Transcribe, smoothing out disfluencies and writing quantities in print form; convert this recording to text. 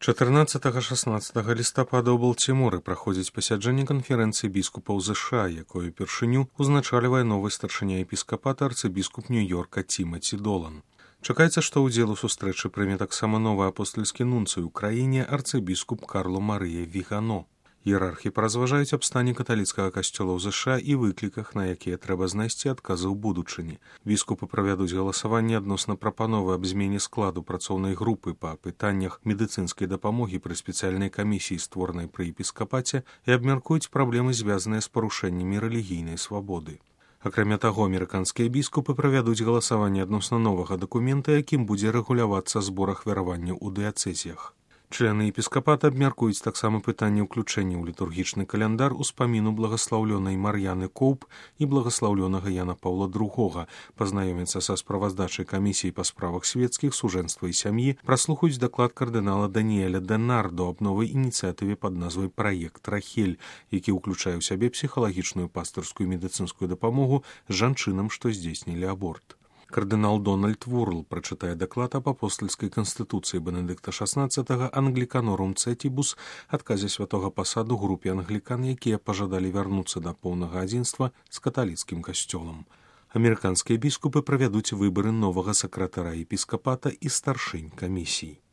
14-16 лістапада ў Балтіморы праходзіць пасяджэнне канферэнцыі біскупаў ЗША, якую упершыню узначальвае новы старшыня епіскапата арцыбіскуп Нью-Йорка Тімаці Долан. Чакаецца, што ўдзел у сустрэчы прыме таксама новы апостальскі нунцый у краіне арцыбіскуп Карло Марыя Вігано. Іерархі паразважаюць аб стане каталіцкага касцёла ў ЗША і выкліках, на якія трэба знайсці адказы ў будучыні. Біскупы правядуць галасаванне адносна прапановы аб змене складу працоўнай групы па пытаннях медыцынскай дапамогі пры спецыяльнай камісіі, створанай пры епіскапаце, і абмяркуюць праблемы, звязаныя з парушэннямі рэлігійнай свабоды. Акрамя таго, амерыканскія біскупы правядуць галасаванне адносна новага дакумента, якім будзе рэгулявацца збор ахвяраванняў у дыяцэзіях. Члены епіскапата абмяркуюць таксама пытанне ўключэння ў літургічны каляндар успаміну благаслаўлёнай Мар'яны Коўп і благаслаўлёнага Яна Паўла II, пазнаёміцца са справаздачай камісіі па справах свецкіх, сужэнства і сям'і, праслухаюць даклад кардынала Даніэля Денардо аб новай ініцыятыве пад назвай «Праект Рахель», які ўключае ў сябе псіхалагічную, пастырскую і медыцынскую дапамогу жанчынам, што здзейснілі аборт. Кардынал Дональд Вурл прачытае даклад аб апостальскай канстытуцыі Бенедыкта XVI «Англіканорум Цетібус», адказе святога пасаду групе англікан, якія пажадалі вярнуцца да поўнага адзінства з каталіцкім касцёлам. Амерыканскія біскупы правядуць выбары новага сакратара епіскапата і старшынь камісій.